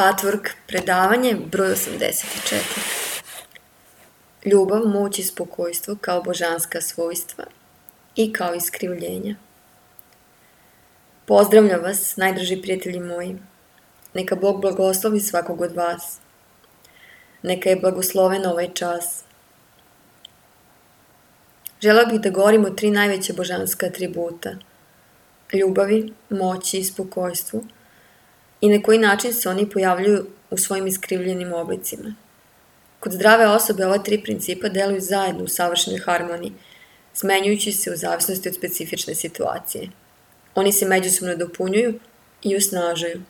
Patchwork predavanje broj 84. Ljubav, moć i spokojstvo kao božanska svojstva i kao iskrivljenja. Pozdravljam vas, najdrži prijatelji moji. Neka Bog blagoslovi svakog od vas. Neka je blagosloven ovaj čas. Želeo bih da govorim o 3 najveće božanska atributa. Ljubavi, moći i spokojstvu i na koji način se oni pojavljuju u svojim iskrivljenim oblicima. Kod zdrave osobe ova 3 principa deluju zajedno u savršenoj harmoniji, smenjujući se u zavisnosti od specifične situacije. Oni se međusobno dopunjuju i osnažuju.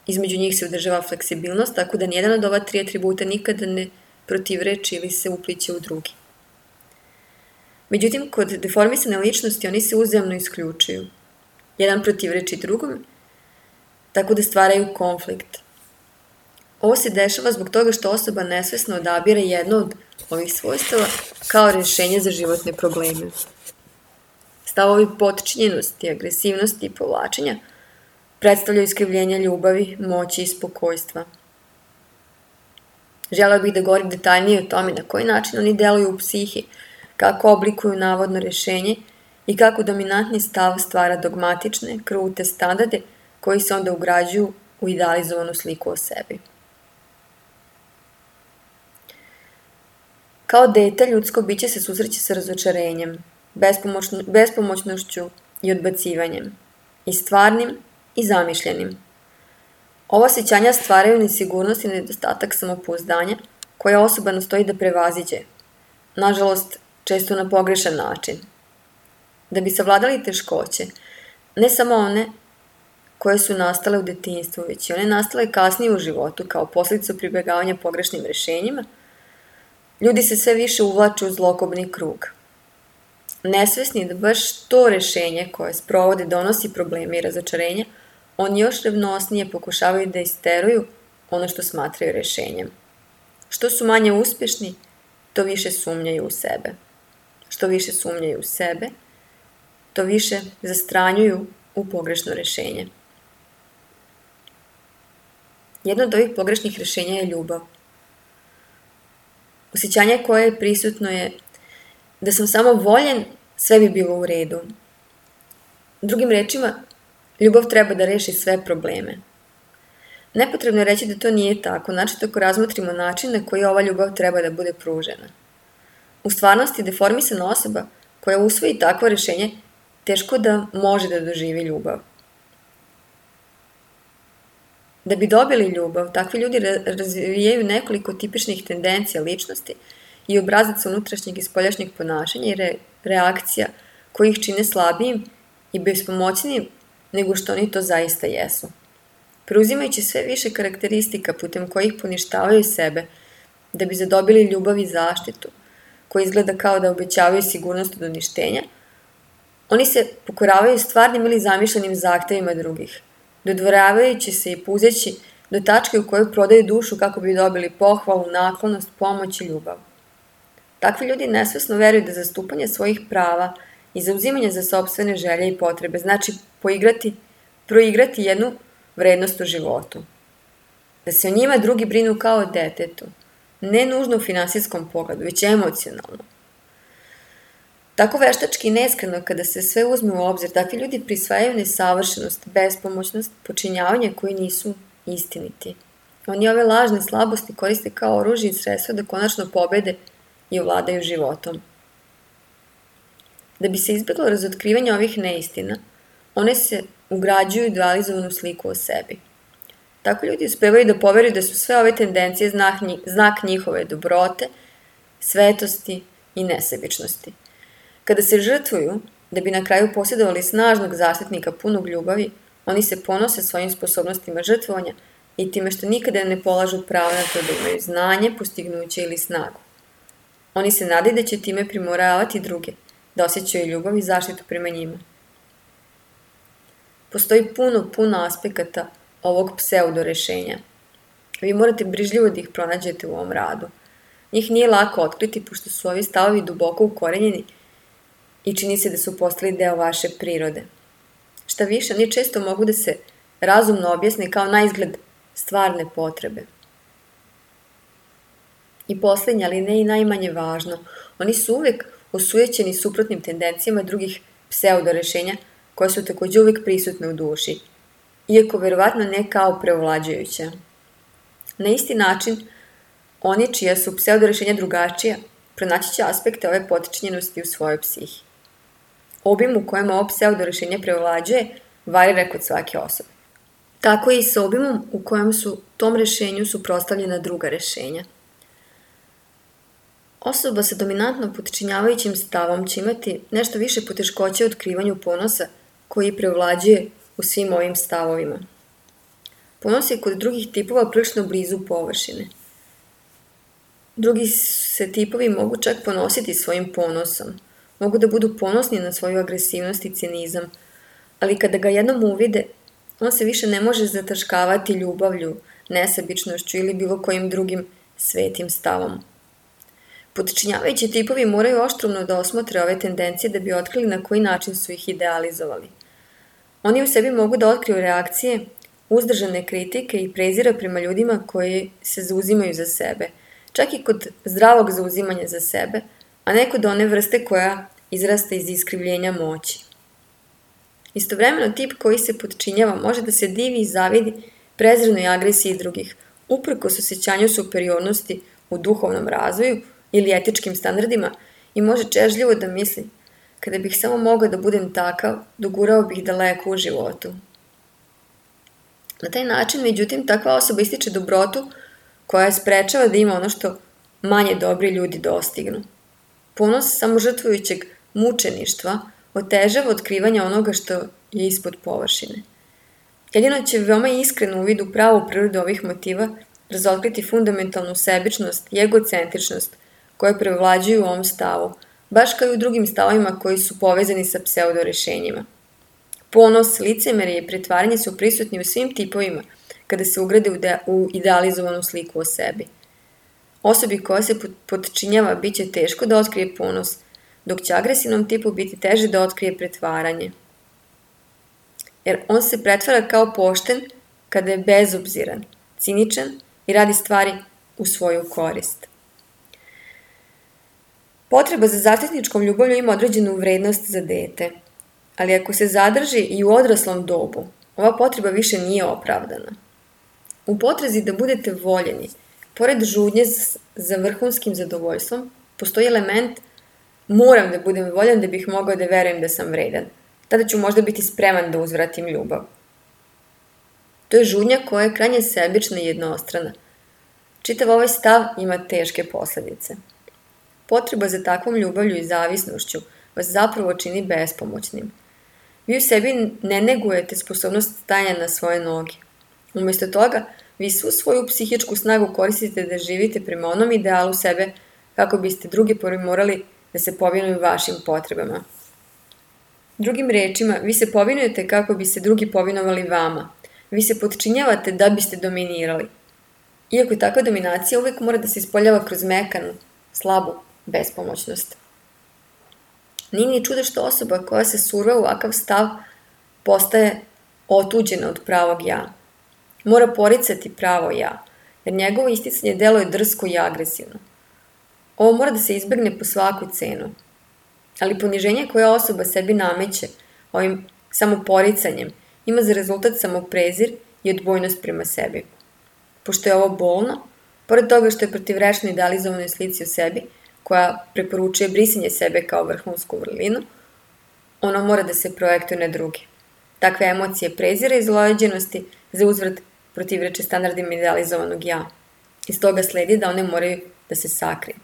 Između njih se održava fleksibilnost, tako da nijedan od ova 3 atributa nikada ne protivreči ili se upliće u drugi. Međutim, kod deformisane ličnosti oni se uzajamno isključuju. Jedan protivreči drugom, tako da stvaraju konflikt. Ovo se dešava zbog toga što osoba nesvesno odabire jedno od ovih svojstava kao rješenje za životne probleme. Stavovi potčinjenosti, agresivnosti i povlačenja predstavljaju iskrivljenja ljubavi, moći i spokojstva. Želeo bih da govorim detaljnije o tome na koji način oni deluju u psihi, kako oblikuju navodno rješenje i kako dominantni stav stvara dogmatične, krute standarde koji se onda ugrađuju u idealizovanu sliku o sebi. Kao dete, ljudsko biće se susreće sa razočarenjem, bespomoćnošću i odbacivanjem, i stvarnim i zamišljenim. Ova osjećanja stvaraju nesigurnost i nedostatak samopouzdanja koja osoba nastoji da prevaziđe, nažalost, često na pogrešan način. Da bi savladali teškoće, ne samo one koje su nastale u detinjstvu, već i one nastale kasnije u životu kao posljedica pribjegavanja pogrešnim rješenjima, ljudi se sve više uvlače u zlokobni krug. Nesvesni da baš to rješenje koje sprovode donosi probleme i razočarenja, oni još revnosnije pokušavaju da isteruju ono što smatraju rješenjem. Što su manje uspješni, to više sumnjaju u sebe. Što više sumnjaju u sebe, to više zastranjuju u pogrešno rješenje. Jedno od ovih pogrešnih rješenja je ljubav. Osjećanje koje je prisutno je da sam samo voljen, sve bi bilo u redu. Drugim rečima, ljubav treba da reši sve probleme. Nepotrebno je reći da to nije tako, znači ako razmotrimo način na koji ova ljubav treba da bude pružena. U stvarnosti, deformisana osoba koja usvoji takvo rješenje teško da može da doživi ljubav. Da bi dobili ljubav, takvi ljudi razvijaju nekoliko tipičnih tendencija ličnosti i obrazaca unutrašnjeg i spoljašnjeg ponašanja i reakcija koji ih čine slabijim i bespomoćnijim nego što oni to zaista jesu. Preuzimajući sve više karakteristika putem kojih poništavaju sebe da bi zadobili ljubav i zaštitu, koji izgleda kao da obećavaju sigurnost od uništenja, oni se pokoravaju stvarnim ili zamišljenim zahtevima drugih, dodvoravajući se i puzeći do tačke u kojoj prodaju dušu kako bi dobili pohvalu, naklonost, pomoć i ljubav. Takvi ljudi nesvesno veruju da zastupanje svojih prava i zauzimanje za sopstvene želje i potrebe znači proigrati jednu vrednost u životu. Da se o njima drugi brinu kao o detetu, ne nužno u finansijskom pogledu, već emocionalno. Tako veštački i neskreno kada se sve uzme u obzir, takvi ljudi prisvajaju nesavršenost, bespomoćnost, počinjavanje koji nisu istiniti. Oni ove lažne slabosti koriste kao oružje i sredstvo da konačno pobede i ovladaju životom. Da bi se izbjeglo razotkrivanje ovih neistina, one se ugrađuju u idealizovanu sliku o sebi. Tako ljudi uspevaju da poveruju da su sve ove tendencije znak njihove dobrote, svetosti i nesebičnosti. Kada se žrtvuju, da bi na kraju posjedovali snažnog zaštitnika punog ljubavi, oni se ponose svojim sposobnostima žrtvovanja i time što nikada ne polažu pravo na to da imaju znanje, postignuće ili snagu. Oni se nadaju da će time primoravati druge, da osjećaju ljubav i zaštitu prema njima. Postoji puno aspekata ovog pseudo rješenja. Vi morate brižljivo da ih pronađete u ovom radu. Njih nije lako otkriti, pošto su ovi stavovi duboko ukorenjeni i čini se da su postali deo vaše prirode. Šta više, oni često mogu da se razumno objasne kao naizgled stvarne potrebe. I posljednje, ali ne i najmanje važno, oni su uvijek osujećeni suprotnim tendencijama drugih pseudorešenja koja su također uvijek prisutne u duši, iako verovatno ne kao preovlađujuća. Na isti način, oni čija su pseudorešenja drugačija, pronaći će aspekte ove potčinjenosti u svojoj psihi. Obim u kojem ovo pseudorešenje preovlađuje varira kod svake osobe. Tako i sa obimom u kojem su tom rešenju suprotstavljena druga rešenja. Osoba sa dominantno potčinjavajućim stavom će imati nešto više poteškoće u otkrivanju ponosa koji preovlađuje u svim ovim stavovima. Ponos je kod drugih tipova prilično blizu površine. Drugi se tipovi mogu čak ponositi svojim ponosom. Mogu da budu ponosni na svoju agresivnost i cinizam, ali kada ga jednom uvide, on se više ne može zataškavati ljubavlju, nesebičnošću ili bilo kojim drugim svetim stavom. Potčinjavajući tipovi moraju oštrumno da osmotre ove tendencije da bi otkrili na koji način su ih idealizovali. Oni u sebi mogu da otkriju reakcije, uzdržane kritike i prezira prema ljudima koji se zauzimaju za sebe, čak i kod zdravog zauzimanja za sebe, a ne kod one vrste koja izrasta iz iskrivljenja moći. Istovremeno tip koji se potčinjava može da se divi i zavidi prezrenoj agresiji drugih, uprkos osjećanju superiornosti u duhovnom razvoju ili etičkim standardima i može čežljivo da misli: kada bih samo mogao da budem takav, dogurao bih daleko u životu. Na taj način, međutim, takva osoba ističe dobrotu koja je sprečava da ima ono što manje dobri ljudi dostignu. Ponos samožrtvujućeg mučeništva otežava otkrivanje onoga što je ispod površine. Jedino će veoma iskreno uvid u pravu prirodu ovih motiva razotkriti fundamentalnu sebičnost i egocentričnost koje prevlađuju u ovom stavu, baš kao i u drugim stavovima koji su povezani sa pseudorešenjima. Ponos, licemerje i pretvaranje su prisutni u svim tipovima kada se ugrade u idealizovanu sliku o sebi. Osobi koja se potčinjava bit će teško da otkrije ponos, dok će agresivnom tipu biti teže da otkrije pretvaranje. Jer on se pretvara kao pošten kada je bezobziran, ciničan i radi stvari u svoju korist. Potreba za zaštitničkom ljubavlju ima određenu vrednost za dete, ali ako se zadrži i u odraslom dobu, ova potreba više nije opravdana. U potrazi da budete voljeni, pored žudnje za vrhunskim zadovoljstvom, postoji element moram da budem voljan da bih mogao da verujem da sam vredan. Tada ću možda biti spreman da uzvratim ljubav. To je žudnja koja je krajnje sebična i jednostrana. Čitav ovaj stav ima teške posledice. Potreba za takvom ljubavlju i zavisnošću vas zapravo čini bespomoćnim. Vi u sebi ne negujete sposobnost stajanja na svoje noge. Umjesto toga, vi svu svoju psihičku snagu koristite da živite prema onom idealu sebe kako biste drugi morali da se povinuju vašim potrebama. Drugim rečima, vi se povinujete kako bi se drugi povinovali vama. Vi se potčinjavate da biste dominirali. Iako takva dominacija uvijek mora da se ispoljava kroz mekanu, slabu bespomoćnost. Nije ni čudo što osoba koja se surva u ovakav stav postaje otuđena od pravog ja. Mora poricati pravo ja, jer njegovo isticanje deluje drsko i agresivno. Ovo mora da se izbegne po svaku cenu. Ali poniženje koje osoba sebi nameće ovim samoporicanjem ima za rezultat samoprezir i odbojnost prema sebi. Pošto je ovo bolno, pored toga što je protivrečno idealizovanoj slici o sebi, koja preporučuje brisanje sebe kao vrhunsku vrlinu, ono mora da se projektuje na druge. Takve emocije prezira i zlojeđenosti za uzvrat protivreče standardima idealizovanog ja. Iz toga sledi da one moraju da se sakriju.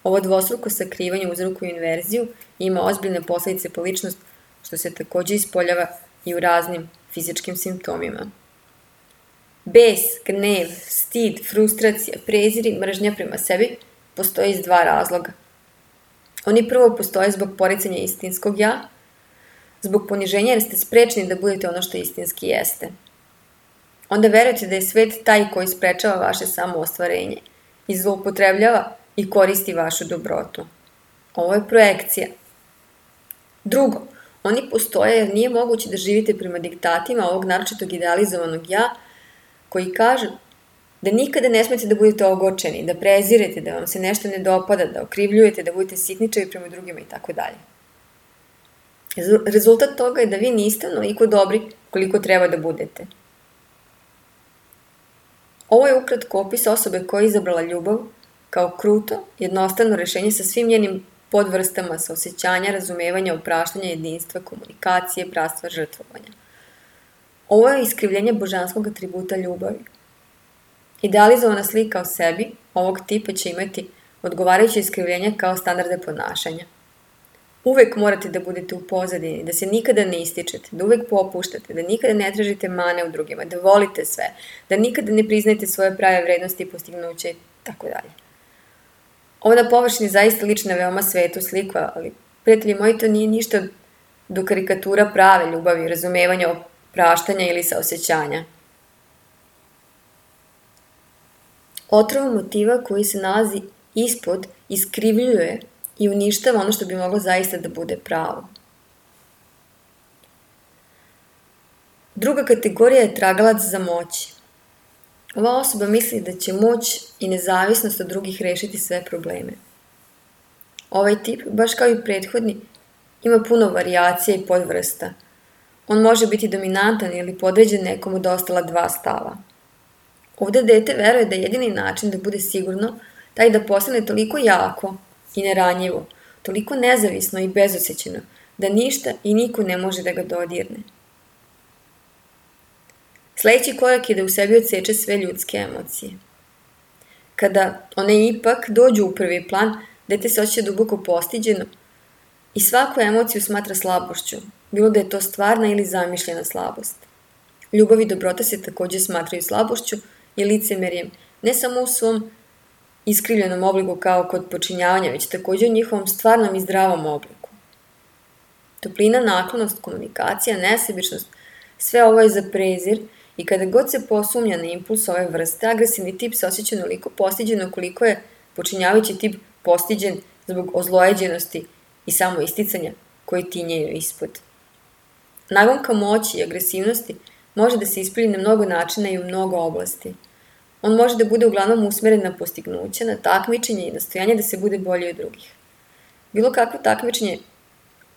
Ovo dvostruko sakrivanje uzrokuje inverziju i ima ozbiljne posljedice po ličnost, što se također ispoljava i u raznim fizičkim simptomima. Bes, gnev, stid, frustracija, prezir i mržnja prema sebi postoje iz dva razloga. Oni prvo postoje zbog poricanja istinskog ja, zbog poniženja jer ste sprečni da budete ono što istinski jeste. Onda verujete da je svet taj koji sprečava vaše samoostvarenje i zloupotrebljava i koristi vašu dobrotu. Ovo je projekcija. Drugo, oni postoje jer nije moguće da živite prema diktatima ovog naročitog idealizovanog ja, koji kažu da nikada ne smete da budete ogorčeni, da prezirete, da vam se nešto ne dopada, da okrivljujete, da budete sitničavi prema drugima i tako dalje. Rezultat toga je da vi niste onoliko dobri koliko treba da budete. Ovo je ukratko opis osobe koja je izabrala ljubav kao kruto, jednostavno rešenje sa svim njenim podvrstama saosećanja, razumevanja, opraštanja, jedinstva, komunikacije, bratstva, žrtvovanja. Ovo je iskrivljenje božanskog atributa ljubavi. Idealizovana slika o sebi ovog tipa će imati odgovarajuće iskrivljenje kao standarde ponašanja. Uvek morate da budete u pozadini, da se nikada ne ističete, da uvek popuštate, da nikada ne tražite mane u drugima, da volite sve, da nikada ne priznajete svoje prave vrednosti i postignuće i tako dalje. Ovo na površini zaista lična veoma svetu sliku, ali prijatelji moji, to nije ništa do karikatura prave ljubavi, razumevanja, opraštanja ili saosećanja. Otrova motiva koji se nalazi ispod iskrivljuje i uništava ono što bi moglo zaista da bude pravo. Druga kategorija je tragalac za moći. Ova osoba misli da će moć i nezavisnost od drugih rešiti sve probleme. Ovaj tip, baš kao i prethodni, ima puno varijacija i podvrsta. On može biti dominantan ili podređen nekomu od ostala dva stava. Ovde dete veruje da je jedini način da bude sigurno taj da postane toliko jako i neranjivo, toliko nezavisno i bezosećeno, da ništa i niko ne može da ga dodirne. Sledeći korak je da u sebi odseče sve ljudske emocije. Kada one ipak dođu u prvi plan, dete se osjeća duboko postiđeno i svaku emociju smatra slabošću, bilo da je to stvarna ili zamišljena slabost. Ljubav i dobrota se takođe smatraju slabošću i licemerjem, ne samo u svom iskrivljenom obliku kao kod počinjavanja, već takođe u njihovom stvarnom i zdravom obliku. Toplina, naklonost, komunikacija, nesebičnost, sve ovo je za prezir i kada god se posumnja na impuls ove vrste, agresivni tip se osjeća onoliko postiđeno koliko je počinjavajući tip postiđen zbog ozlojeđenosti i samoisticanja koji tinjeju ispod. Nagonka moći i agresivnosti može da se ispolji na mnogo načina i u mnogo oblasti. On može da bude uglavnom usmeren na postignuće, na takmičenje i nastojanje da se bude bolji od drugih. Bilo kakvo takmičenje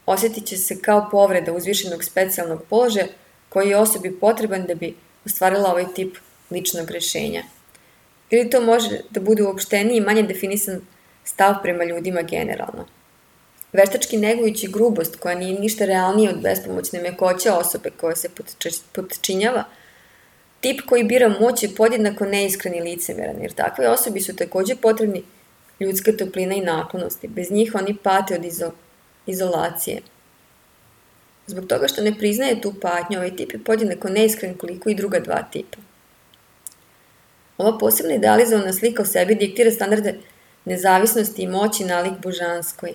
osjetit će se kao povreda uzvišenog specijalnog položaja koji je osobi potreban da bi ostvarila ovaj tip ličnog rešenja. Ili to može da bude uopšteniji i manje definisan stav prema ljudima generalno. Veštački negujući grubost koja nije ništa realnije od bespomoćne mekoće osobe koja se potčinjava, tip koji bira moć je podjednako neiskren i licemeran, jer takve osobi su takođe potrebni ljudska toplina i naklonosti. Bez njih oni pate od izolacije. Zbog toga što ne priznaje tu patnju, ovaj tip je podjednako neiskren koliko i druga dva tipa. Ova posebna idealizovana slika o sebi diktira standarde nezavisnosti i moći nalik božanskoj.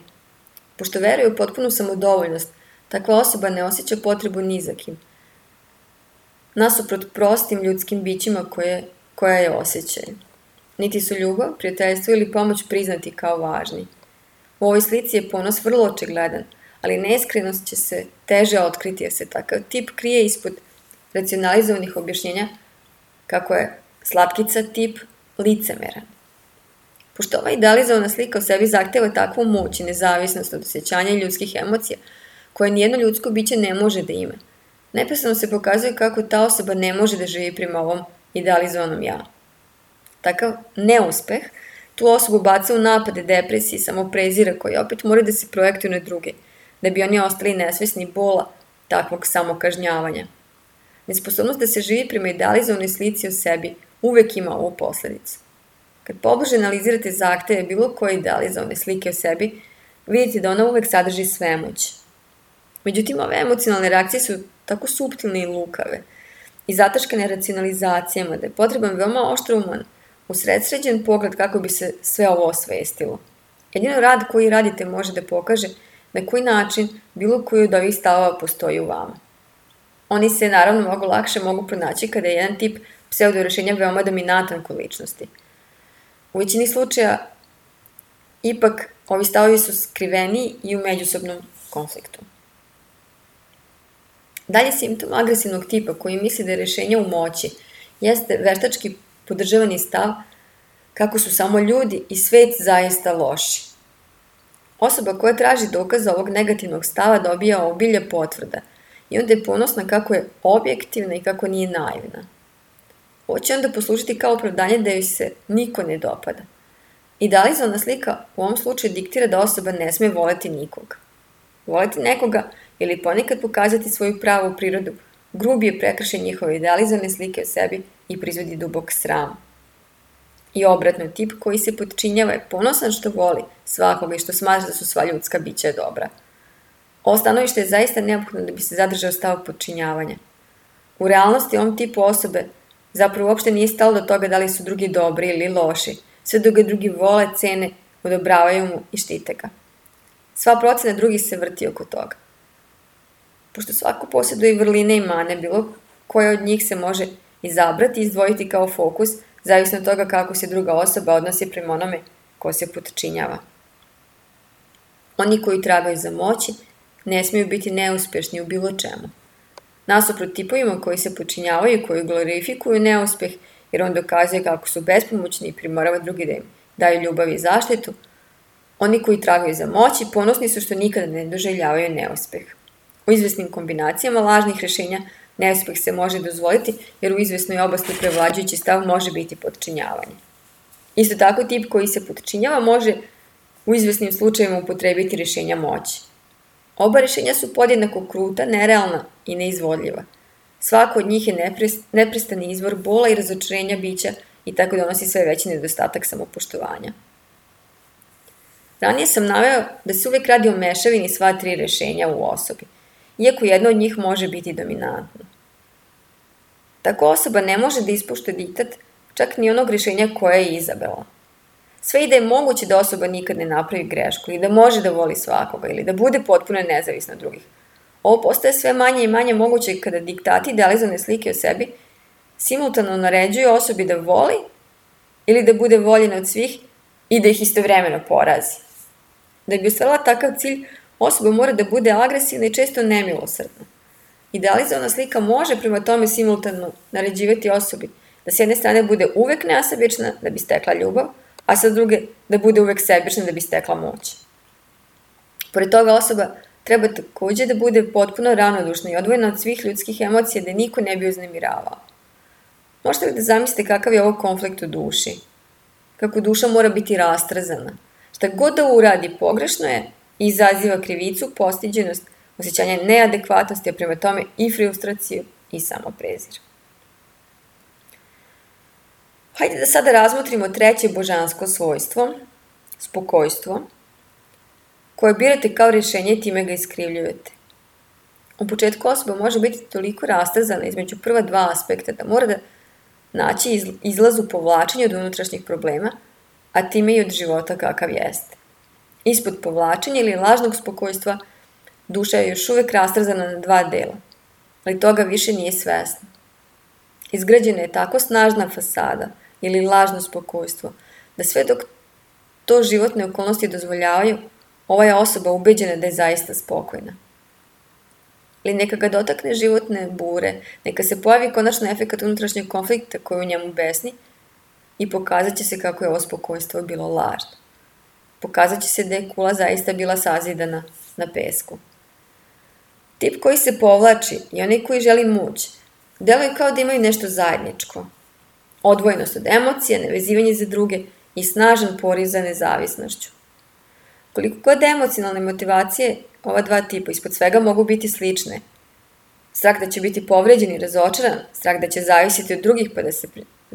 Pošto veruje u potpunu samodovoljnost, takva osoba ne osjeća potrebu ni za kim. Nasuprot prostim ljudskim bićima koja je osjećaju. Niti su ljubav, prijateljstvo ili pomoć priznati kao važni. U ovoj slici je ponos vrlo očigledan, ali neiskrenost će se teže otkriti jer se takav tip krije ispod racionalizovanih objašnjenja kako je slatkica tip licemeran. Pošto ova idealizovana slika o sebi zahteva takvu moć i nezavisnost od osjećanja i ljudskih emocija, koje nijedno ljudsko biće ne može da ima, neprestano se pokazuje kako ta osoba ne može da živi prema ovom idealizovanom ja. Takav neuspeh tu osobu baca u napade, depresije, samoprezira koji opet moraju da se projektuju na druge, da bi oni ostali nesvesni bola takvog samokažnjavanja. Nesposobnost da se živi prema idealizovanoj slici o sebi uvek ima ovu posledicu. Kad pobliže analizirate zahteve bilo koje idealizovane slike o sebi, vidite da ona uvek sadrži svemoć. Međutim, ove emocionalne reakcije su tako suptilne i lukave i zataškane racionalizacijama da je potreban veoma oštrouman, usredsređen pogled kako bi se sve ovo osvestilo. Jedino rad koji radite može da pokaže na koji način bilo koji od ovih stavova postoji u vama. Oni se naravno mnogo lakše mogu pronaći kada je jedan tip pseudorešenja veoma dominantan kod ličnosti. U većini slučaja, ipak, ovi stavovi su skriveni i u međusobnom konfliktu. Dalje simptom agresivnog tipa koji misli da je rešenje u moći jeste veštački podržavani stav kako su samo ljudi i svet zaista loši. Osoba koja traži dokaz ovog negativnog stava dobija obilje potvrda i onda je ponosna kako je objektivna i kako nije naivna. Ovo će onda poslužiti kao opravdanje da joj se niko ne dopada. Idealizovana slika u ovom slučaju diktira da osoba ne sme voleti nikoga. Voleti nekoga ili ponekad pokazati svoju pravu prirodu grubi je prekršaj njihove idealizovane slike o sebi i proizvodi dubok sram. I obratno, tip koji se potčinjava je ponosan što voli svakoga i što smatra da su sva ljudska bića dobra. Ovo stanovište je zaista neophodno da bi se zadržao stav potčinjavanja. U realnosti ovom tipu osobe zapravo uopšte nije stalo do toga da li su drugi dobri ili loši, sve dok ga drugi vole, cene, odobravaju mu i štite ga. Sva procena drugih se vrti oko toga. Pošto svako posjeduje vrline i mane, bilo koja od njih se može izabrati i izdvojiti kao fokus, zavisno od toga kako se druga osoba odnosi prema onome ko se potčinjava. Oni koji tragaju za moći ne smiju biti neuspješni u bilo čemu. Nasuprot tipovima koji se potčinjavaju i koji glorifikuju neuspjeh, jer on dokazuje kako su bespomoćni i primorava drugi da im daju ljubav i zaštitu, oni koji tragaju za moći ponosni su što nikada ne doživljavaju neuspjeh. U izvesnim kombinacijama lažnih rješenja neuspjeh se može dozvoliti jer u izvesnoj oblasti prevlađujući stav može biti potčinjavanje. Isto tako tip koji se potčinjava može u izvesnim slučajevima upotrebiti rješenja moći. Oba rješenja su podjednako kruta, nerealna i neizvodljiva. Svako od njih je neprestani izvor bola i razočarenja bića i tako donosi sve veći nedostatak samopoštovanja. Ranije sam naveo da se uvijek radi o mešavini sva tri rješenja u osobi, iako jedno od njih može biti dominantno. Tako osoba ne može da ispušta diktat čak ni onog rješenja koje je izabrala. Sve i da je moguće da osoba nikad ne napravi grešku ili da može da voli svakoga ili da bude potpuno nezavisna od drugih. Ovo postaje sve manje i manje moguće kada diktati idealizovane slike o sebi simultano naređuju osobi da voli ili da bude voljena od svih i da ih istovremeno porazi. Da bi ostvarila takav cilj, osoba mora da bude agresivna i često nemilosrdna. Idealizovana slika može prema tome simultano naređivati osobi da s jedne strane bude uvek nesebična da bi stekla ljubav, a sa druge da bude uvek sebična da bi stekla moć. Pored toga osoba treba takođe da bude potpuno ravnodušna i odvojena od svih ljudskih emocija da niko ne bi uznemiravao. Možete li da zamislite kakav je ovo konflikt u duši? Kako duša mora biti rastrzana. Šta god da uradi pogrešno je i izaziva krivicu, postiđenost, osjećanje neadekvatnosti, a prema tome i frustraciju i samoprezir. Hajde da sada razmotrimo treće božansko svojstvo, spokojstvo, koje birate kao rješenje i time ga iskrivljujete. U početku osoba može biti toliko rastrzana između prva dva aspekta da mora da naći izlaz u povlačenju od unutrašnjih problema, a time i od života kakav jeste. Ispod povlačenja ili lažnog spokojstva duša je još uvek rastrzana na dva dela, ali toga više nije svesna. Izgrađena je tako snažna fasada ili lažno spokojstvo, da sve dok to životne okolnosti dozvoljavaju, ova je osoba ubeđena da je zaista spokojna. Ali neka ga dotakne životne bure, neka se pojavi konačno efekat unutrašnjeg konflikta koji u njemu besni i pokazat će se kako je ovo spokojstvo bilo lažno. Pokazat će se da je kula zaista bila sazidana na pesku. Tip koji se povlači i onaj koji želi moć, deluje kao da imaju nešto zajedničko. Odvojenost od emocija, nevezivanje za druge i snažan poriv za nezavisnošću. Koliko god emocionalne motivacije ova dva tipa ispod svega mogu biti slične. Strah da će biti povređen i razočaran, strah da će zavisiti od drugih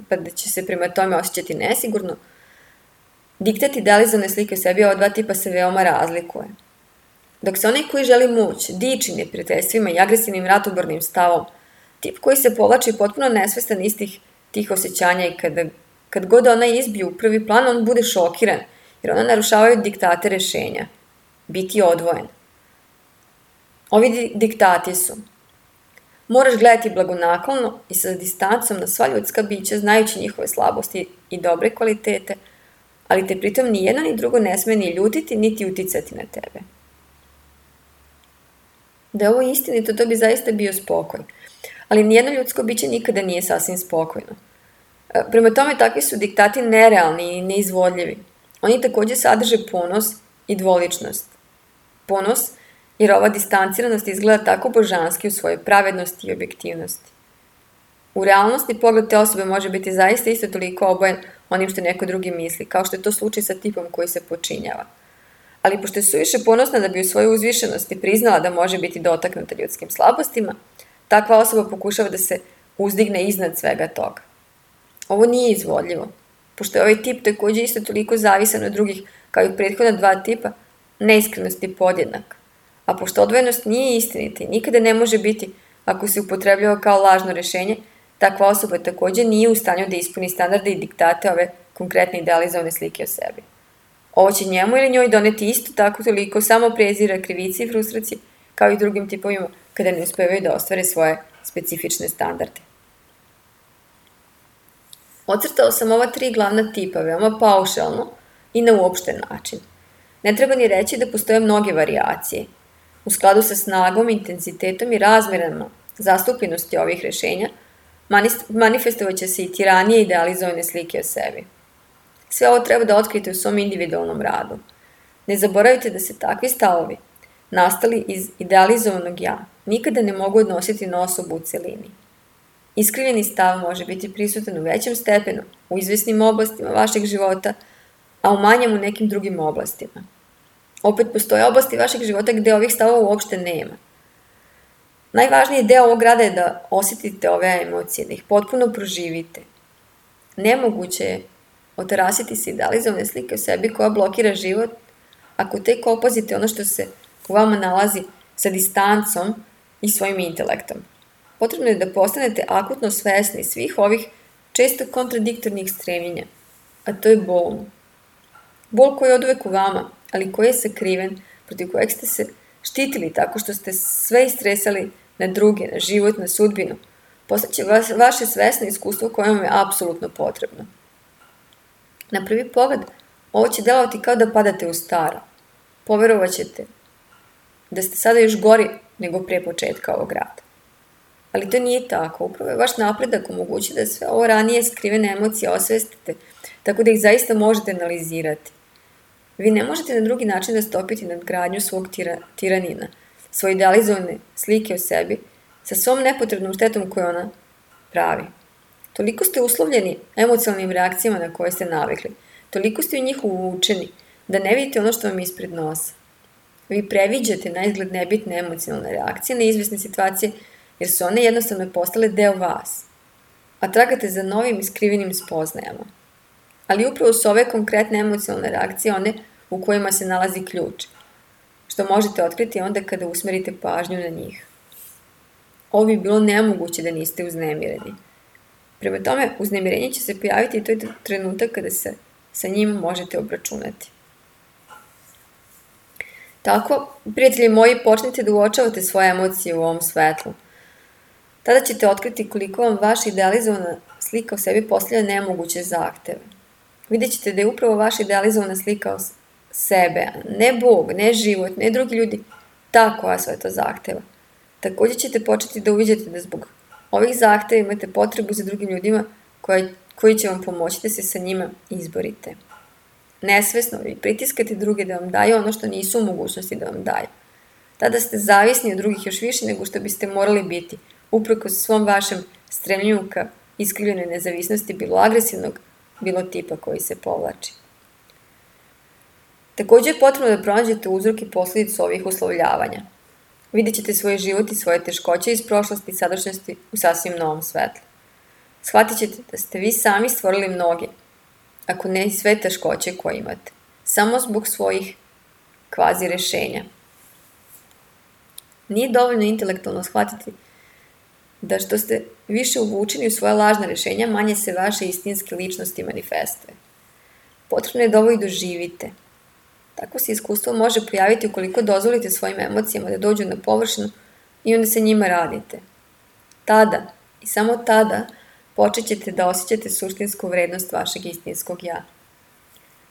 pa da će se prema tome osjećati nesigurno, diktat idealizovane slike o sebi ova dva tipa se veoma razlikuje. Dok se onaj koji želi moć, diči neprijateljstvima i agresivnim ratobornim stavom, tip koji se povlači potpuno nesvestan istih tih osjećanja i kad god ona izbije u prvi plan, on bude šokiran, jer ona narušavaju diktate rešenja. Biti odvojen. Ovi diktati su: moraš gledati blagonaklono i sa distancom na sva ljudska bića, znajući njihove slabosti i dobre kvalitete, ali te pritom ni jedno ni drugo ne sme ni ljutiti, niti uticati na tebe. Da je ovo istinito, to bi zaista bio spokoj. ali nijedno ljudsko biće nikada nije sasvim spokojno. Prema tome, takvi su diktati nerealni i neizvodljivi. Oni takođe sadrže ponos i dvoličnost. Ponos, jer ova distanciranost izgleda tako božanski u svojoj pravednosti i objektivnosti. U realnosti pogled te osobe može biti zaista isto toliko obojen onim što neko drugi misli, kao što je to slučaj sa tipom koji se počinjava. Ali pošto je suviše ponosna da bi u svojoj uzvišenosti priznala da može biti dotaknuta ljudskim slabostima, takva osoba pokušava da se uzdigne iznad svega toga. Ovo nije izvodljivo, pošto je ovaj tip takođe isto toliko zavisan od drugih kao i prethodna dva tipa, neiskrenost je podjednak. A pošto odvojenost nije istinita i nikada ne može biti ako se upotrebljava kao lažno rešenje, takva osoba takođe nije u stanju da ispuni standarde i diktate ove konkretne idealizovane slike o sebi. Ovo će njemu ili njoj doneti isto tako toliko samo prezira, krivici i frustracije, kao i drugim tipovima kada ne uspevaju da ostvare svoje specifične standarde. Ocrtao sam ova tri glavna tipa veoma paušalno i na uopšten način. Ne treba ni reći da postoje mnoge varijacije. U skladu sa snagom, intenzitetom i razmerama zastupljenosti ovih rešenja, manifestovaće se i tiranije idealizovane slike o sebi. Sve ovo treba da otkrijete u svom individualnom radu. Ne zaboravite da se takvi stavovi, nastali iz idealizovanog ja, nikada ne mogu odnositi na osobu u celini. Iskrivljeni stav može biti prisutan u većem stepenu, u izvesnim oblastima vašeg života, a u manjem u nekim drugim oblastima. Opet postoje oblasti vašeg života gde ovih stavova uopšte nema. Najvažniji deo ovog rada je da osjetite ove emocije, da ih potpuno proživite. Nemoguće je otarasiti se idealizovane slike o sebi koja blokira život ako tek opazite ono što se u vama nalazi sa distancom i svojim intelektom. Potrebno je da postanete akutno svesni svih ovih često kontradiktornih stremljenja, a to je bol. Bol koji je oduvek u vama, ali koji je sakriven, protiv kojeg ste se štitili tako što ste sve istresali na druge, na život, na sudbinu. Postaće vaše svesno iskustvo koje vam je apsolutno potrebno. Na prvi pogled, ovo će delovati kao da padate u staro. Poverovat ćete da ste sada još gori nego pre početka ovog rada. Ali to nije tako. Upravo je vaš napredak omogući da sve ovo ranije skrivene emocije osvestite, tako da ih zaista možete analizirati. Vi ne možete na drugi način da stopite nadgradnju svog tiranina, svoje idealizovane slike o sebi, sa svom nepotrebnom štetom koju ona pravi. Toliko ste uslovljeni emocionalnim reakcijama na koje ste navikli, toliko ste u njih uvučeni, da ne vidite ono što vam je ispred nosa. Vi previđate na izgled nebitne emocionalne reakcije na izvesne situacije, jer su one jednostavno postale deo vas, a tragate za novim iskrivenim spoznajama. Ali upravo su ove konkretne emocionalne reakcije one u kojima se nalazi ključ, što možete otkriti onda kada usmerite pažnju na njih. Ovo bi bilo nemoguće da niste uznemireni. Prema tome, uznemirenje će se pojaviti i to je trenutak kada se sa njim možete obračunati. Tako, prijatelji moji, počnite da uočavate svoje emocije u ovom svetlu. Tada ćete otkriti koliko vam vaša idealizovana slika o sebi postavlja nemoguće zahteve. Vidjet ćete da je upravo vaša idealizovana slika o sebe, ne Bog, ne život, ne drugi ljudi, ta koja sve to zahteva. Također ćete početi da uviđate da zbog ovih zahteva imate potrebu za drugim ljudima koji će vam pomoći da se sa njima izborite. Nesvesno vi pritiskate druge da vam daju ono što nisu u mogućnosti da vam daju. Tada ste zavisni od drugih još više nego što biste morali biti, uprkos svom vašem stremljenju ka iskrivljenoj nezavisnosti, bilo agresivnog, bilo tipa koji se povlači. Također je potrebno da pronađete uzrok i posledicu ovih uslovljavanja. Vidjet ćete svoj život i svoje teškoće iz prošlosti i sadašnjosti u sasvim novom svetlu. Shvatit ćete da ste vi sami stvorili mnoge, ako ne i sve teškoće koje imate, samo zbog svojih kvazi rešenja. Nije dovoljno intelektualno shvatiti da što ste više uvučeni u svoje lažne rešenja, manje se vaše istinske ličnosti manifestuje. Potrebno je da ovo i doživite. Tako se iskustvo može pojaviti ukoliko dozvolite svojim emocijama da dođu na površinu i onda se njima radite. Tada, i samo tada, počet ćete da osjećate suštinsku vrednost vašeg istinskog ja.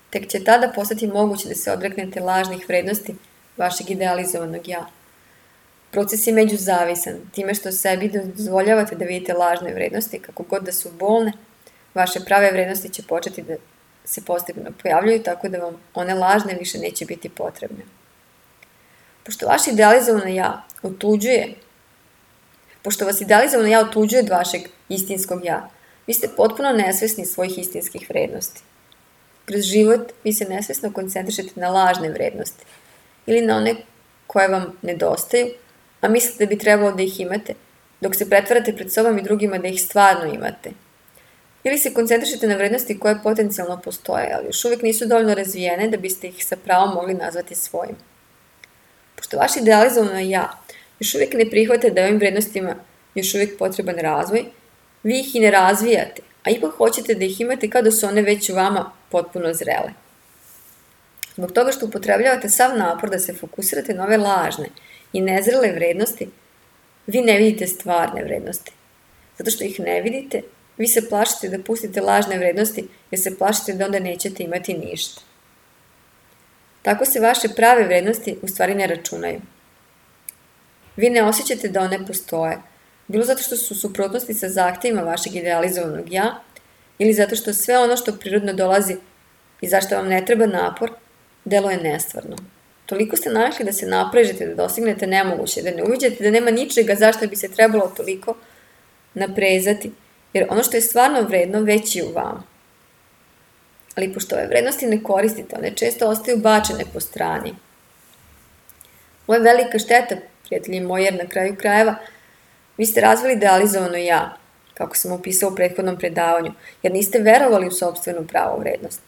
Tek će tada postati moguće da se odreknete lažnih vrednosti vašeg idealizovanog ja. Proces je međuzavisan, time što sebi dozvoljavate da vidite lažne vrednosti, kako god da su bolne, vaše prave vrednosti će početi da se postepeno pojavljuju, tako da vam one lažne više neće biti potrebne. Pošto vas idealizovano ja otuđuje od vašeg istinskog ja, vi ste potpuno nesvesni svojih istinskih vrednosti. Kroz život vi se nesvesno koncentrišete na lažne vrednosti ili na one koje vam nedostaju, a mislite da bi trebalo da ih imate, dok se pretvarate pred sobom i drugima da ih stvarno imate. Ili se koncentrišete na vrednosti koje potencijalno postoje, ali još uvijek nisu dovoljno razvijene da biste ih sa pravom mogli nazvati svojim. Pošto vaš idealizovano ja još uvijek ne prihvate da ovim vrednostima još uvijek potreban razvoj, vi ih i ne razvijate, a ipak hoćete da ih imate kao da su one već u vama potpuno zrele. Zbog toga što upotrebljavate sav napor da se fokusirate na ove lažne i nezrele vrednosti, vi ne vidite stvarne vrednosti. Zato što ih ne vidite, vi se plašite da pustite lažne vrednosti jer se plašite da onda nećete imati ništa. Tako se vaše prave vrednosti u stvari ne računaju. Vi ne osjećate da one postoje, bilo zato što su u suprotnosti sa zahtjevima vašeg idealizovanog ja, ili zato što sve ono što prirodno dolazi i zašto vam ne treba napor, deluje nestvarno. Toliko ste navikli da se naprežete, da dostignete nemoguće, da ne uviđate da nema ničega zašto bi se trebalo toliko naprezati, jer ono što je stvarno vredno već je u vama. Ali pošto ove vrednosti ne koristite, one često ostaju bačene po strani. Ovo je velika šteta, prijatelji moji, jer na kraju krajeva vi ste razvili idealizovano ja, kako sam opisao u prethodnom predavanju, jer niste verovali u sopstvenu pravu vrednost.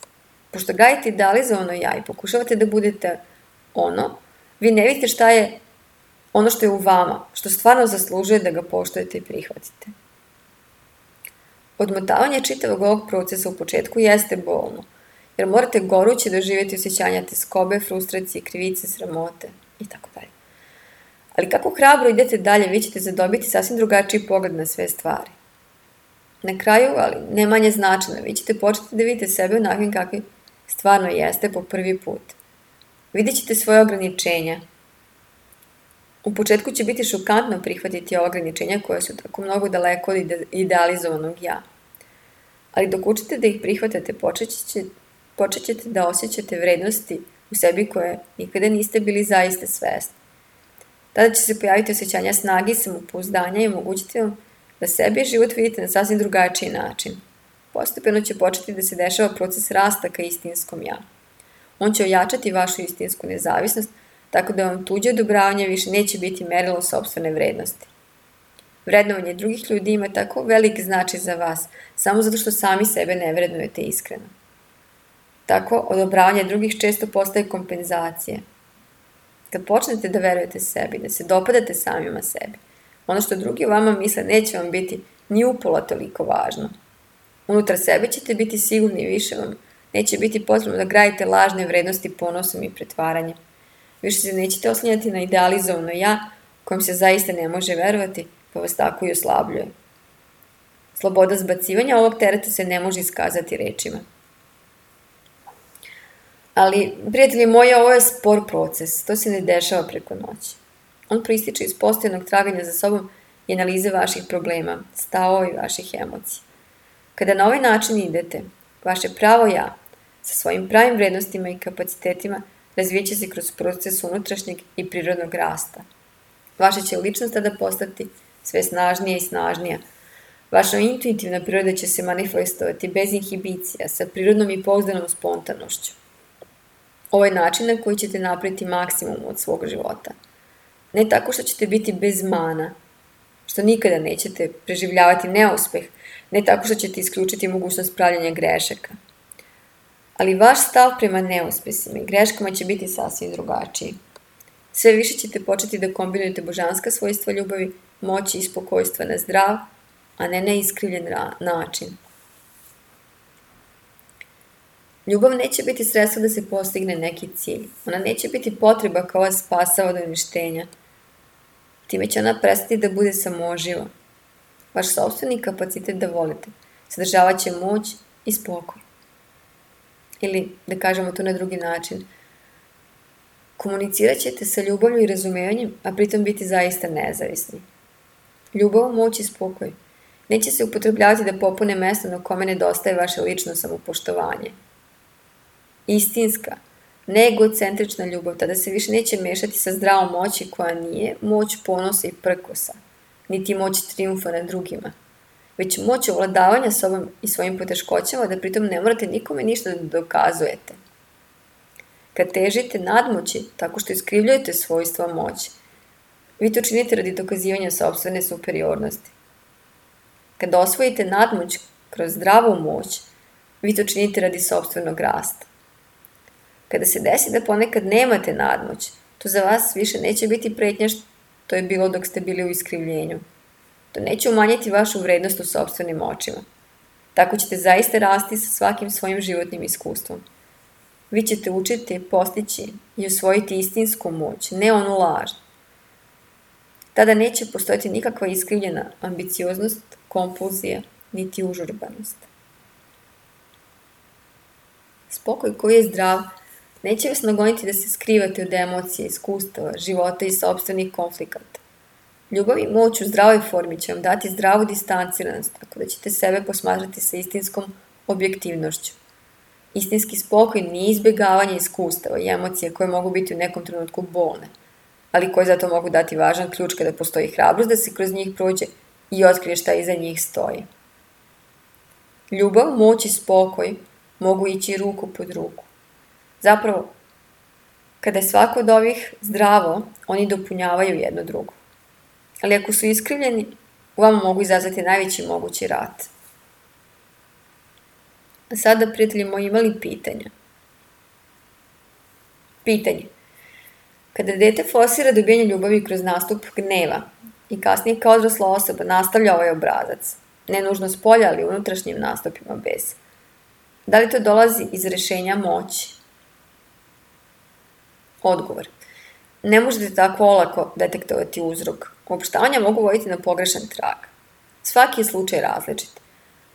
Pošto gajite idealizovano ja i pokušavate da budete ono, vi ne vidite šta je ono što je u vama, što stvarno zaslužuje da ga poštujete i prihvatite. Odmotavanje čitavog ovog procesa u početku jeste bolno, jer morate goruće doživjeti osjećanja teskobe, frustracije, krivice, sramote itd. Ali kako hrabro idete dalje, vi ćete zadobiti sasvim drugačiji pogled na sve stvari. Na kraju, ali ne manje značajno, vi ćete početi da vidite sebe onakvim kakvi stvarno jeste po prvi put. Vidjet ćete svoje ograničenja. U početku će biti šokantno prihvatiti ova ograničenja koja su tako mnogo daleko od idealizovanog ja. Ali dok učite da ih prihvatate, počet ćete da osjećate vrednosti u sebi koje nikada niste bili zaista svesni. Tada će se pojaviti osjećanja snage i samopouzdanja i omogućiti vam da sebi i život vidite na sasvim drugačiji način. Postepeno će početi da se dešava proces rasta ka istinskom ja. On će ojačati vašu istinsku nezavisnost, tako da vam tuđe odobravanje više neće biti merilo sopstvene vrednosti. Vrednovanje drugih ljudi ima tako velik značaj za vas, samo zato što sami sebe ne vrednujete iskreno. Tako, odobravanje drugih često postaje kompenzacija. Kad počnete da verujete sebi, da se dopadate samima sebi, ono što drugi o vama misle neće vam biti ni upola toliko važno. Unutar sebe ćete biti sigurni i više vam neće biti potrebno da gradite lažne vrednosti ponosom i pretvaranjem. Više se nećete oslanjati na idealizovano ja, kojem se zaista ne može verovati, pa vas tako i oslabljuje. Sloboda zbacivanja ovog tereta se ne može iskazati rečima. Ali, prijatelji moji, ovo je spor proces, to se ne dešava preko noći. On proističe iz postojanog traganja za sobom i analize vaših problema, stavova i vaših emocija. Kada na ovaj način idete, vaše pravo ja, sa svojim pravim vrednostima i kapacitetima, razvijeće se kroz proces unutrašnjeg i prirodnog rasta. Vaša će ličnost tada postati sve snažnija i snažnija. Vaša intuitivna priroda će se manifestovati bez inhibicija, sa prirodnom i pouzdanom spontanošću. Ovo je način na koji ćete napraviti maksimum od svog života. Ne tako što ćete biti bez mana, što nikada nećete preživljavati neuspeh, ne tako što ćete isključiti mogućnost pravljenja grešaka. Ali vaš stav prema neuspesima i greškama će biti sasvim drugačiji. Sve više ćete početi da kombinujete božanska svojstva ljubavi, moći i spokojstva na zdrav, a ne na iskrivljen način. Ljubav neće biti sredstvo da se postigne neki cilj. Ona neće biti potreba kao vas spasava od uništenja. Time će ona prestati da bude samoživa. Vaš sopstveni kapacitet da volite sadržavat će moć i spokoj. Ili, da kažemo to na drugi način, Komunicirat ćete sa ljubavlju i razumijevanjem, a pritom biti zaista nezavisni. Ljubav, moć i spokoj neće se upotrebljavati da popune mesto na kome nedostaje vaše lično samopoštovanje. Istinska, neegocentrična ljubav tada se više neće mešati sa zdravom moći koja nije moć ponosa i prkosa, niti moć trijumfa nad drugima, već moć ovladavanja sobom i svojim poteškoćama da pritom ne morate nikome ništa da dokazujete. Kad težite nadmoći tako što iskrivljujete svojstva moći, vi to činite radi dokazivanja sopstvene superiornosti. Kad osvojite nadmoć kroz zdravu moć, vi to činite radi sopstvenog rasta. Kada se desi da ponekad nemate nadmoć, to za vas više neće biti pretnja što je bilo dok ste bili u iskrivljenju. To neće umanjiti vašu vrednost u sopstvenim očima. Tako ćete zaista rasti sa svakim svojim životnim iskustvom. Vi ćete učiti, postići i usvojiti istinsku moć, ne onu laž. Tada neće postojati nikakva iskrivljena ambicioznost, kompulzija, niti užurbanost. Spokoj koji je zdrav neće vas nagoniti da se skrivate od emocija, iskustava, života i sopstvenih konflikata. Ljubav i moć u zdravoj formi će vam dati zdravu distanciranost, tako da ćete sebe posmatrati sa istinskom objektivnošću. Istinski spokoj nije izbjegavanje iskustava i emocija koje mogu biti u nekom trenutku bolne, ali koje zato mogu dati važan ključ kada postoji hrabrost da se kroz njih prođe i otkrije šta iza njih stoji. Ljubav, moć i spokoj mogu ići ruku pod ruku. Zapravo, kada je svako od ovih zdravo, oni dopunjavaju jedno drugo. Ali ako su iskrivljeni, u vama mogu izazvati najveći mogući rat. A sada, prijatelji moji, imali pitanja? Pitanje. Kada dete forsira dobijanje ljubavi kroz nastup gneva i kasnije kao odrasla osoba nastavlja ovaj obrazac, ne nužno s polja, ali unutrašnjim nastupima besa, da li to dolazi iz rešenja moći? Odgovor. Ne možete tako olako detektovati uzrok. Uopštavanja mogu voditi na pogrešan trag. Svaki je slučaj različit.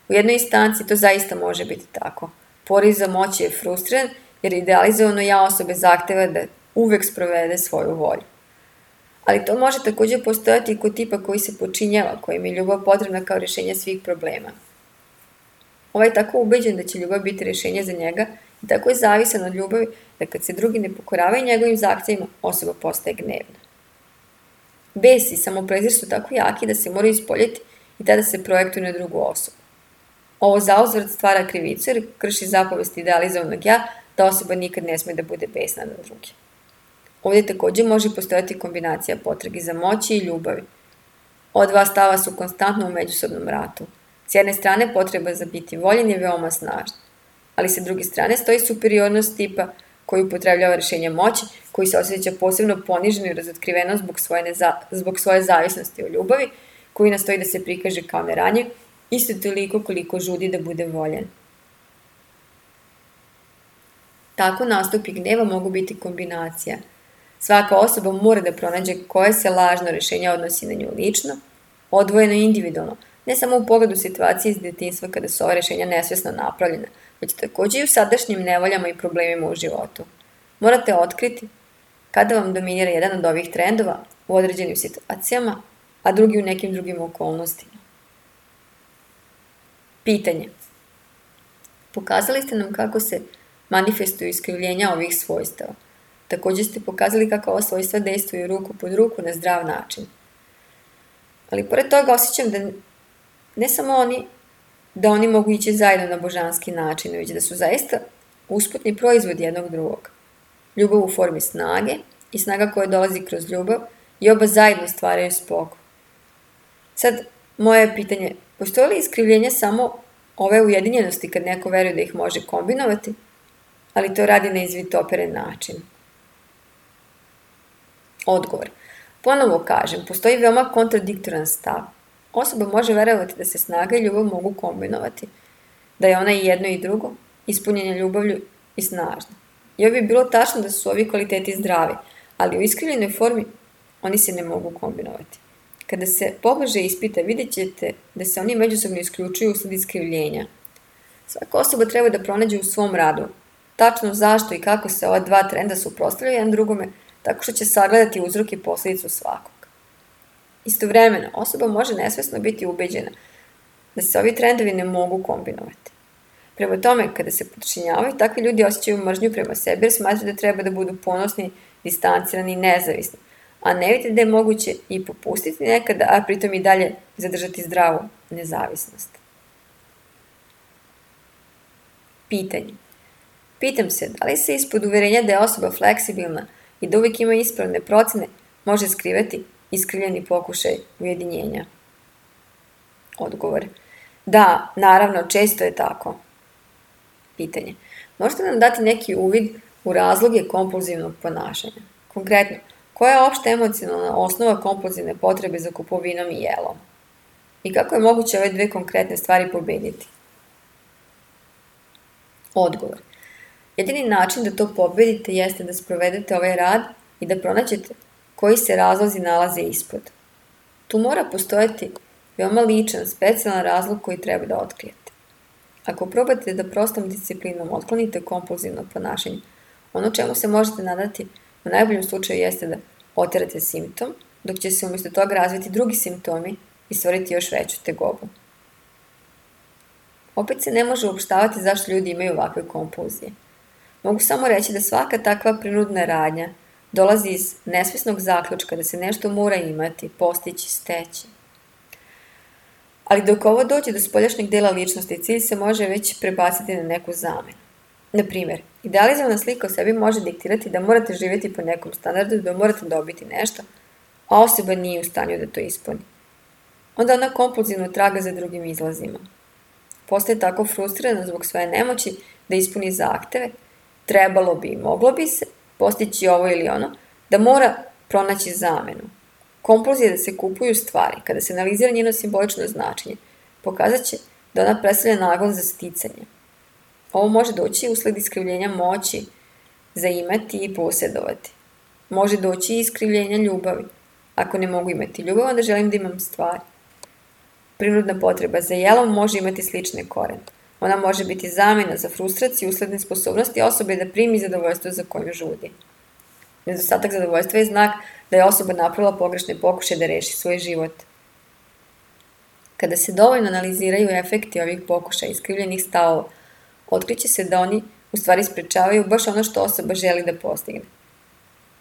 U jednoj instanci to zaista može biti tako. Poriv za moći je frustriran jer idealizovano ja osobe zahteva da uvek sprovede svoju volju. Ali to može također postojati i kod tipa koji se počinjava, kojim je ljubav potrebna kao rješenje svih problema. Ovaj je tako ubeđen da će ljubav biti rješenje za njega i tako je zavisan od ljubavi da kad se drugi ne pokoravaju njegovim zahtjevima, osoba postaje gnevna. Bes i samoprezir su tako jaki da se moraju ispoljeti i tada se projektuju na drugu osobu. Ovo zauzvrat stvara krivicu jer krši zapovesti idealizovanog ja da osoba nikad ne smije da bude besna na druge. Ovdje također može postojati kombinacija potrage za moći i ljubavi. Ova dva stava su konstantno u međusobnom ratu. S jedne strane potreba za biti voljen je veoma snažna, ali sa druge strane stoji superiornost tipa koji upotrebljava rješenje moći, koji se osjeća posebno poniženo i razotkriveno zbog svoje zavisnosti od ljubavi, koji nastoji da se prikaže kao neranjiv, isto toliko koliko žudi da bude voljen. Tako nastupi gneva mogu biti kombinacija. Svaka osoba mora da pronađe koje se lažno rješenje odnosi na nju lično, odvojeno i individualno, ne samo u pogledu situacije iz djetinjstva kada su ova rješenja nesvjesno napravljena, već također i u sadašnjim nevoljama i problemima u životu. Morate otkriti kada vam dominira jedan od ovih trendova u određenim situacijama, a drugi u nekim drugim okolnostima. Pitanje. Pokazali ste nam kako se manifestuju iskrivljenja ovih svojstava. Također ste pokazali kako ova svojstva dejstvuju ruku pod ruku na zdrav način. Ali pored toga osjećam da ne samo oni mogu ići zajedno na božanski način, već da su zaista usputni proizvod jednog drugog. Ljubav u formi snage i snaga koja dolazi kroz ljubav i oba zajedno stvaraju spokoj. Sad, moje pitanje, postoje li iskrivljenje samo ove ujedinjenosti kad neko veruje da ih može kombinovati, ali to radi na izvitoperen način? Odgovor. Ponovo kažem, postoji veoma kontradiktoran stav. Osoba može verovati da se snaga i ljubav mogu kombinovati, da je ona i jedno i drugo, ispunjenje ljubavlju i snažno. I ovo bi bilo tačno da su ovi kvaliteti zdravi, ali u iskrivljenoj formi oni se ne mogu kombinovati. Kada se pobliže ispita, vidjet ćete da se oni međusobno isključuju usled iskrivljenja. Svaka osoba treba da pronađe u svom radu tačno zašto i kako se ova dva trenda suprotstavljaju jedan drugome, tako što će sagledati uzrok i posljedicu svakog. Istovremeno, osoba može nesvesno biti ubeđena da se ovi trendovi ne mogu kombinovati. Prema tome, kada se podčinjavaju, takvi ljudi osjećaju mržnju prema sebi jer smatraju da treba da budu ponosni, distancirani i nezavisni, a ne vidite da je moguće i popustiti nekada, a pritom i dalje zadržati zdravu nezavisnost. Pitanje. Pitam se, da li se ispod uverenja da je osoba fleksibilna i da uvijek ima ispravne procene može skrivati iskrivljeni pokušaj ujedinjenja? Odgovor. Da, naravno, često je tako. Pitanje. Možete nam dati neki uvid u razloge kompulzivnog ponašanja? Konkretno, koja je opšta emocionalna osnova kompulzivne potrebe za kupovinom i jelom? I kako je moguće ove dve konkretne stvari pobediti? Odgovor. Jedini način da to pobedite jeste da sprovedete ovaj rad i da pronađete koji se razlozi nalaze ispod. Tu mora postojati veoma ličan, specijalan razlog koji treba da otkrijete. Ako probate da prostom disciplinom otklonite kompulzivno ponašanje, ono čemu se možete nadati u najboljem slučaju jeste da oterate simptom, dok će se umjesto toga razviti drugi simptomi i stvoriti još veću tegobu. Opet se ne može uopštavati zašto ljudi imaju ovakve kompulzije. Mogu samo reći da svaka takva prinudna radnja dolazi iz nesvesnog zaključka da se nešto mora imati, postići, steći. Ali dok ovo dođe do spoljašnjeg dela ličnosti, cilj se može već prebaciti na neku zamenu. Na primjer, idealizovana slika o sebi može diktirati da morate živjeti po nekom standardu, da morate dobiti nešto, a osoba nije u stanju da to ispuni. Onda ona kompulzivno traga za drugim izlazima. Postaje tako frustrirana zbog svoje nemoći da ispuni zahteve, trebalo bi i moglo bi se postići ovo ili ono, da mora pronaći zamenu. Kompulzija da se kupuju stvari, kada se analizira njeno simbolično značenje, pokazat će da ona predstavlja nagon za sticanje. Ovo može doći usled iskrivljenja moći za imati i posjedovati. Može doći i iskrivljenja ljubavi. Ako ne mogu imati ljubav, onda želim da imam stvari. Prinudna potreba za jelom može imati slične korene. Ona može biti zamena za frustraciju usled nesposobnosti osobe da primi zadovoljstvo za koju žudi. Nedostatak zadovoljstva je znak da je osoba napravila pogrešne pokušaje da reši svoj život. Kada se dovoljno analiziraju efekti ovih pokušaja iskrivljenih stavova, otkriće se da oni u stvari sprečavaju baš ono što osoba želi da postigne.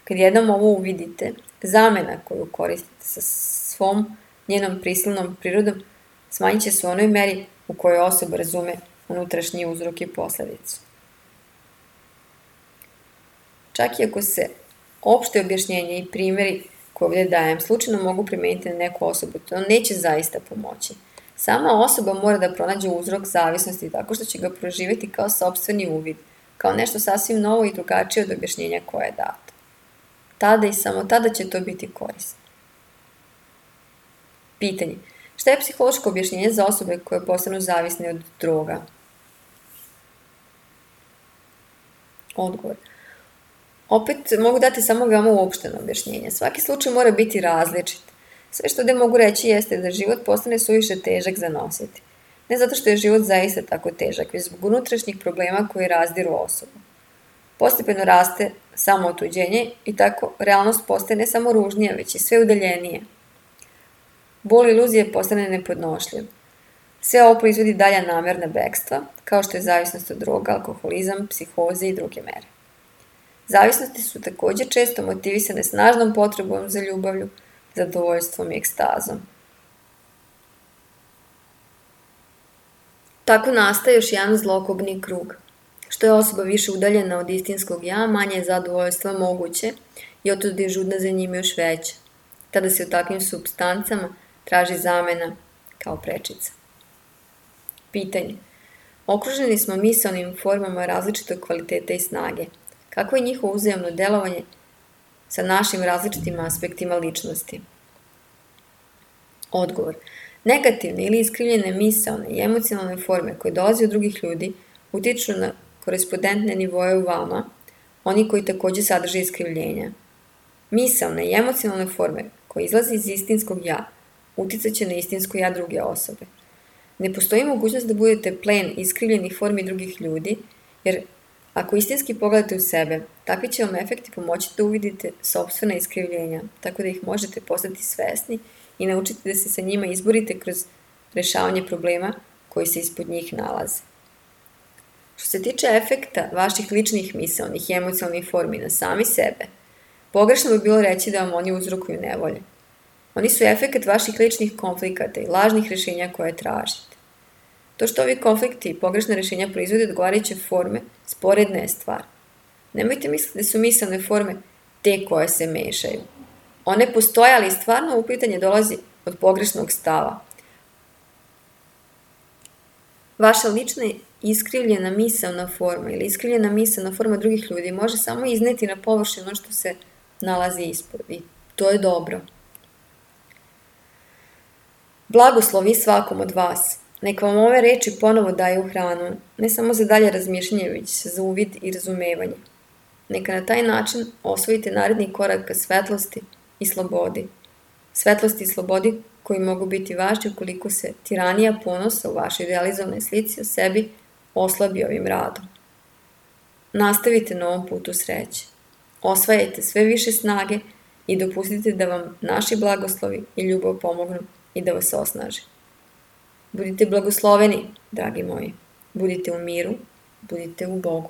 Kad jednom ovo uvidite, zamena koju koristite sa svom njenom prisilnom prirodom smanjit će se u onoj meri u kojoj osoba razume unutrašnji uzrok i posledicu. Čak i ako se opšte objašnjenje i primjeri koje ovdje dajem slučajno mogu primijeniti na neku osobu, to neće zaista pomoći. Sama osoba mora da pronađe uzrok zavisnosti tako što će ga proživjeti kao sopstveni uvid, kao nešto sasvim novo i drugačije od objašnjenja koje je dato. Tada i samo tada će to biti korisno. Pitanje. Šta je psihološko objašnjenje za osobe koje postanu zavisne od droga? Odgovor. Opet mogu dati samo veoma uopšteno objašnjenje. Svaki slučaj mora biti različit. Sve što ovdje mogu reći jeste da život postane suviše težak za nositi. Ne zato što je život zaista tako težak, već zbog unutrašnjih problema koji razdiru osobu. Postepeno raste samo otuđenje i tako realnost postaje ne samo ružnija, već i sve udaljenije. Bol iluzije postane nepodnošljiv. Sve ovo proizvodi dalja namerna bekstva, kao što je zavisnost od droga, alkoholizam, psihoze i druge mere. Zavisnosti su također često motivisane snažnom potrebom za ljubavlju, zadovoljstvom i ekstazom. Tako nastaje još jedan zlokobni krug. Što je osoba više udaljena od istinskog ja, manje je zadovoljstva moguće i otud je žudna za njim još veća. Tada se u takvim supstancama traži zamena kao prečica. Pitanje. Okruženi smo misaonim formama različitog kvaliteta i snage. Kako je njihovo uzajamno delovanje sa našim različitim aspektima ličnosti? Odgovor. Negativne ili iskrivljene misaone i emocionalne forme koje dolaze od drugih ljudi utiču na korespondentne nivoje u vama, oni koji također sadrže iskrivljenja. Misaone i emocionalne forme koje izlaze iz istinskog ja uticat će na istinsko ja druge osobe. Ne postoji mogućnost da budete plen iskrivljenih formi drugih ljudi, jer Ako istinski pogledate u sebe, takvi će vam efekti pomoći da uvidite sopstvena iskrivljenja, tako da ih možete postati svesni i naučiti da se sa njima izborite kroz rešavanje problema koji se ispod njih nalaze. Što se tiče efekta vaših ličnih misaonih i emocionalnih formi na sami sebe, pogrešno bi bilo reći da vam oni uzrokuju nevolje. Oni su efekt vaših ličnih konflikata i lažnih rešenja koje tražite. To što ovi konflikti i pogrešne rešenja proizvode odgovarajuće forme, sporedna je stvar. Nemojte misliti da su misaone forme te koje se mešaju. One postoje, ali stvarno upitanje dolazi od pogrešnog stava. Vaša lična iskrivljena misaona forma ili iskrivljena misaona forma drugih ljudi može samo izneti na površinu ono što se nalazi ispod i to je dobro. Blagoslovi svakom od vas. Neka vam ove reči ponovo daju hranu, ne samo za dalje razmišljanje, već za uvid i razumevanje. Neka na taj način osvojite naredni korak ka svetlosti i slobodi. Svetlosti i slobodi koji mogu biti važni ukoliko se tiranija ponosa u vašoj idealizovanoj slici o sebi oslabi ovim radom. Nastavite na ovom putu sreće. Osvajajte sve više snage i dopustite da vam naši blagoslovi i ljubav pomognu i da vas osnaže. Budite blagosloveni, dragi moji. Budite u miru, budite u Bogu.